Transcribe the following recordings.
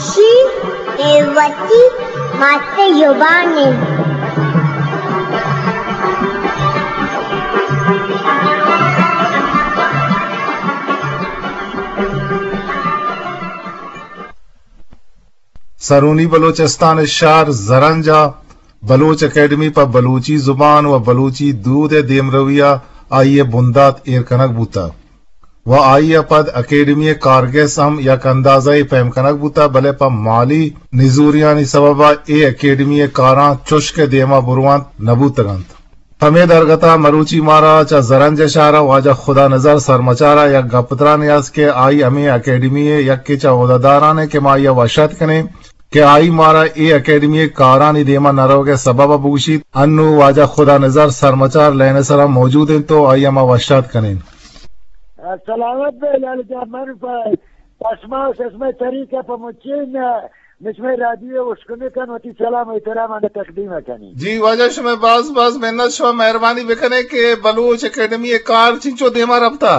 شی اے وتی مات زبان انت۔ سرونی بلوچستان ءِ شہر زرنج ءَ بلوچ اکیڈمی پہ بلوچی زبان و بلوچی دود ءِ دیمروی ءَ آئی ءِ بندات ایر کنگ بوتگ و آئی ءَ پد اکیڈمی ءِ کارگس ہم یک اندازہ ءَ پیم کنگ بوتگ، بلے پہ مالی نزوریانی سبب ءَ اے اکیڈمی ءِ کاراں چش کہ دیما برونت نہ بوتگ انت۔ پمے درگت ءَ مروچی مارا چہ زرنج شہر ءَ واجہ خدا نظر سرمچار ءَ یک گپترانے است کہ آئی ہمے اکیڈمی ءِ یکے چہ عہدہ داران انت کہ ما آئی ءَ وش اتک کنیں کہ آئی مارا اے اکیڈمی ءِ کارانی دیما نہ روگ ءِ سبب ءَ بگوشیت۔ انو واجہ خدا نظر سرمچار لین ءِ سرا موجود انت تو آئی ءَ ما وش اتک کنیں۔ سلامت بے لال جان، من پہ پشما و چشمہ طریقہ پہ مچین مچ مئے رادیو ءِ اشکنکاں وتی سلام و احتراماں تقدیم کنیں۔ جی واجہ، شمئے باز باز منت، شما مہربانی بکنیں کہ بلوچ اکیڈمی ءِ کار چنچو دیما رپتا؟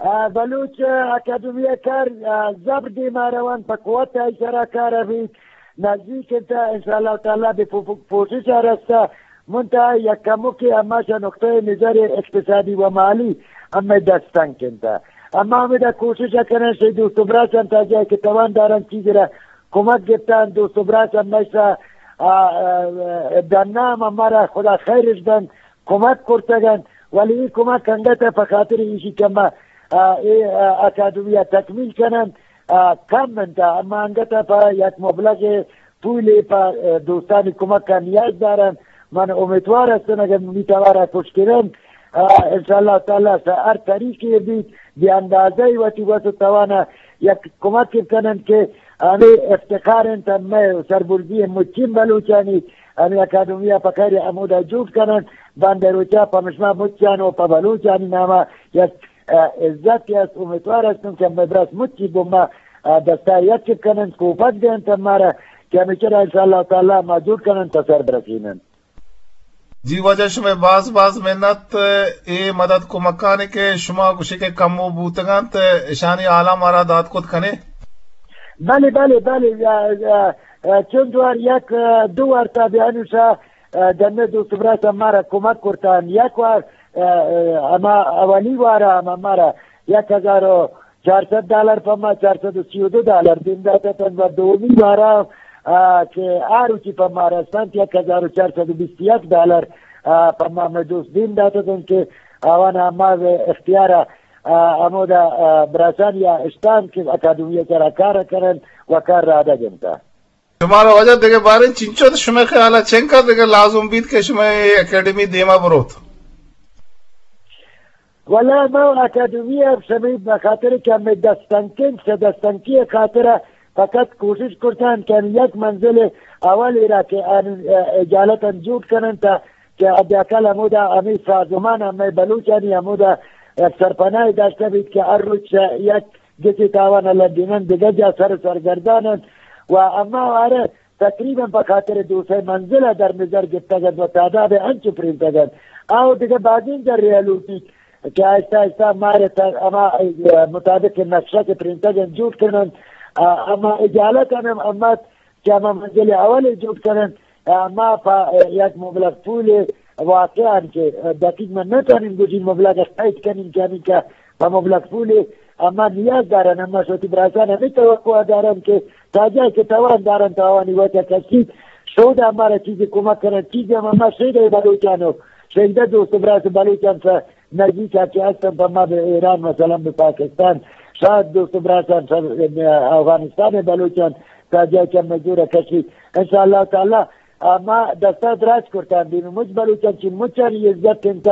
آ، بلوچ اکیڈمی ءِ کار، آ، زبر دیما روان، پہ قوت ءَ سرا کار بیت، نزدیک انت، انشاءاللہ تعالی بہ پو-، پو-، پوشش ءَ رستہ۔ منتہا یک کمکے ہما چہ نقطہ نظر اقتصادی و مالی ہمے دست تنگ انت۔ اما ہمدا کوشش ءَ کنیں، شی دوست و براساں تا جاہے کہ توان دارن چیزے را کمک گپتن، دوست و براس ہمیشہ، آ، آ، آ، ڈنا ہم ہمارا خدا خیرش دنت، کمک کرتگن، ولی اے کمک انگت پہ خاطر ایشی کہ ما، آ، اے، آ، اکادمی ءَ تکمیل کنن، آ، کم انت، اما انگت پہ یک مبلغ پولے پہ، آ، دوستانی کمک ءَ نیاز دارن۔ من امیدوار ہستن اگر منی توار ءَ کش کنن، آ، انشاءاللہ تعالی سہ ہر طریقے بیت، بے اندازہ وتی وس و توانا یک کمک کنن کہ ہمے افتخار انت، مئے سربرزی مچین بلوچانی ہمے اکادمی ءَ پہ خیر ہمودا جوڑ کنن۔ باندا روچا پہ مشما مچان و پہ بلوچانی ناما یک، آ، عزت است۔ امیدوار ہستم کہ ہمے برس مچی گما، آ، دستا یک کنن، کوپگ دینت مارا کہ ہمیشہ را انشاءاللہ تعالی ما جوڑ کنن تا سر برسینن۔ جی واجہ، شمئے باز باز منت، اے مدد کمکانی کہ شما گوشے کہ کمو بوتگ انت، اشانی حالاں مارا دات کت کنے؟ بلے، بلے، بلے، آ، آ، آ، چند وار یک، آ، دو وار تا بہ انوشا، آ، دمے دوست برات مارا کمک کرتن۔ یک وار، آ، آ، ہما اولی وارا ہما مارا یک ہزار و چار سد ڈالر پہ ما، چار سد و سی و دو ڈالر دیم دات اتنت و دومی وارا، آ، کہ آ روچی پہ ما رستنت، یک ہزار و چار سد و بیست و یک ڈالر، آ، پہ ما مئے دوست دیم دات اتنت کہ آوان ہما اختیار، آ، ہمودا، آ، براسانی اشتان کہ اکادمی سرا کار کنن و کار رادگ انت۔ شمارا واجہ دگہ باریں چنچو شمئے خیالا چنکا دگہ لازم بیت کہ شمئے اکیڈمی دیما بروت؟ واللہ ما اکادمی ءَ شمئے بخاطر کہ ہمے دستنکیں، چہ دستنکی ءِ خاطر ءَ فقط کوشش کرتن کہ ہمے یک منزل اول ءَ را کہ آن اجالت انت جوڑ کنن تا کہ حداقل ہمودا ہمے سازمان ہمے بلوچانی ہمودا سرپناہ داشتہ بیت کہ ہر روچ یک گچے تاوان ءَ لڈینن دگہ جا سر سرگردان انت و اما وارے تقریباً پہ خاطر دو سئے منزل ءَ در نظر گپتگ انت و تعداد انچو پرینتگ انت۔ آ و دگہ بازیں جرے ءَ لوٹیت کہ آہستہ آہستہ مارا تا ہما مطابق نقشہ کہ پرینتگ انت جوڑ کننت۔ آ، ہما اجالت ہم ہمت کہ ہما منزل اول ءَ جوڑ کننت۔ آ، ما پہ یک مبلغ پولے واقعاً کہ دقیق من نہ توانیں گوشیں مبلغ ءَ قید کنیں کہ ہمینکہ پہ مبلغ پولے اما نیاز دارن، اما شوتی براسان ہمے توقع دارن کہ تا جاہے کہ توان دارن تا آوانی وجہ کشیت، شودا مارا چیزے کمک کنن، چیزے ہم اما شیدہ بلوچان و شیدہ دوست و براس بلوچان سا نزیک ءَ کہ ہستن، پہ ما بہ ایران مثلاً بہ پاکستان، شاید دوست و براسان سا افغانستان بلوچان تا جاہے کہ ہمے جوڑ کشیت۔ انشاءاللہ تعالی آ، ما دستا دراج کرتان بیم، مچ بلوچان چی مچانی عزت انت،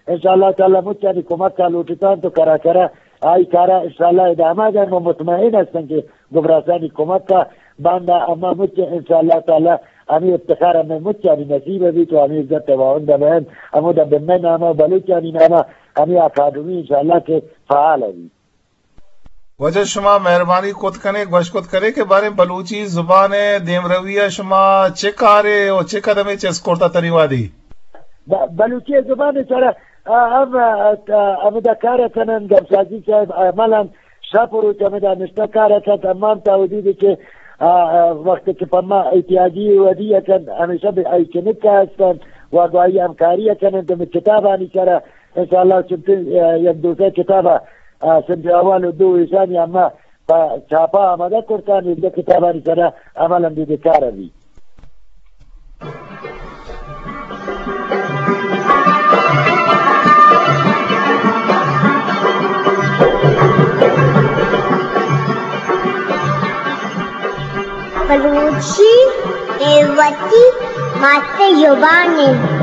انشاءاللہ تعالی مچانی کمک ءَ لوٹتان تو کرا کرا آئی کارا انشاءاللہ ادامہ دن و مطمئن ہستن کہ گبراسانی کمک ءَ باندا اما مچ انشاءاللہ تعالی ہمے افتخار ہمے مچانی نصیب بیت و ہمے عزت ءِ واہند بہن ہمودا بہ مئے ناما و بلوچانی ناما ہمے اکادمی انشاءاللہ کہ فعال بیت۔ واجہ شما مہربانی کت کنے، گوش کت کنے کہ باریں بلوچی زبان ءِ دیمروی ءَ شما چے کارے و چے قدمے چست کرتا تنی وہدی؟ ب-، بلوچی زبان ءِ سرا، آ، ہم، آ، آ، ہمدا کار کنن، گپسازی صاحب عملاً شپ و روچ ہمدا نشتہ کار کنت، اما ہم تا ودی کہ، آ، آ، وقت کہ پہ ما احتیاجی ودی کنت، ہمیشہ بہ آئی چنکا ہستن و گواہی ہمکاری کنن تو کتابانی سرا انشاءاللہ چنتیں، آ، یک دوزہ کتابا، آ، سندھ احوال و دو ایشانی اما پہ چھاپا آمادہ کرتان، یک دو کتابانی سرا عمل ہم بہ کار بی۔ بلوچی اے وتی مات زبان اِنت۔